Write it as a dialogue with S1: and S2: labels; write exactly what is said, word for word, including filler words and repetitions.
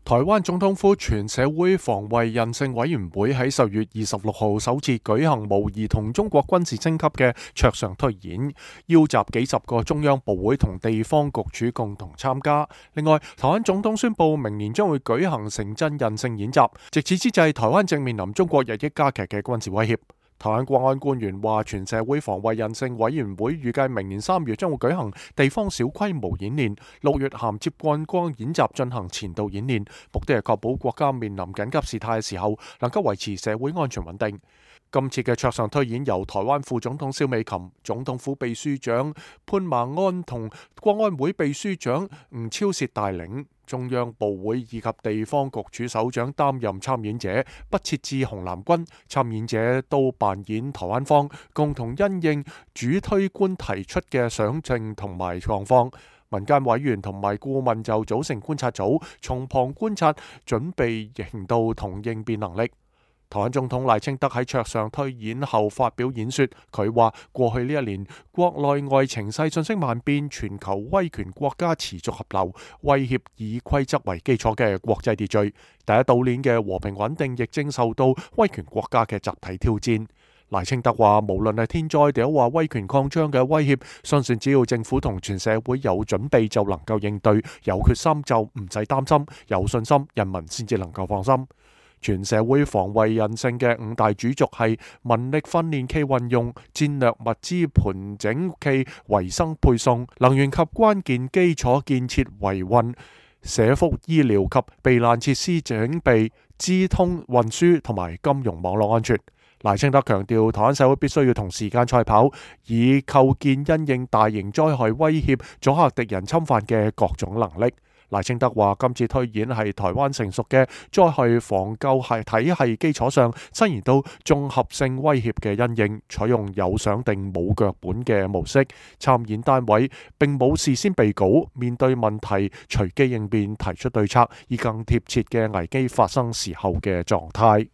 S1: 台灣總統府全社會防衛韌性委員會喺十月二十六號首次舉行模擬同中國軍事升級嘅桌上推演，邀集幾十個中央部會同地方局處共同參加。另外，台灣總統宣布明年將會舉行城鎮韌性演習。值此之際，台灣正面臨中國日益加劇嘅軍事威脅。台灣國安官員話，全社會防衛韌性委員會預計明年三月將會舉行地方小規模演練，六月銜接觀光演習進行前導演練，目的係確保國家面臨緊急事態嘅時候能夠維持社會安全穩定。今次嘅桌上推演由台灣副總統蕭美琴、總統府秘書長潘孟安同國安會秘書長吳釗燮帶領，中央部會以及地方局處首長擔任參演者，不設置紅藍軍，參演者都扮演台灣方，共同因應主推官提出嘅想政同埋狀況。民間委員同埋顧問就組成觀察組，從旁觀察準備行動同應變能力。台灣總統賴清德喺桌上推演後發表演說，佢話過去呢一年國內外情勢瞬息萬變，全球威權國家持續合流，威脅以規則為基礎嘅國際秩序。第一島鏈嘅和平穩定亦正受到威權國家嘅集體挑戰。賴清德話，無論係天災定話威權擴張嘅威脅，相信只要政府同全社會有準備就能夠應對，有決心就唔使擔心，有信心人民先至能夠放心。全社會防衛韌性嘅五大主軸係民力訓練暨運用、戰略物資盤整暨維生配送、能源及關鍵基礎建設維運、社福醫療及避難設施整備、資通運輸同埋金融網絡安全。賴清德強調，台灣社會必須要同時間賽跑，以構建因應大型災害威脅、阻嚇敵人侵犯嘅各種能力。賴清德話，今次推演係台灣成熟嘅災害防救系體系基礎上，伸延到綜合性威脅嘅因應，採用有想定冇腳本嘅模式。參演單位並冇事先備稿，面對問題隨機應變，提出對策，以更貼切嘅危機發生時候嘅狀態。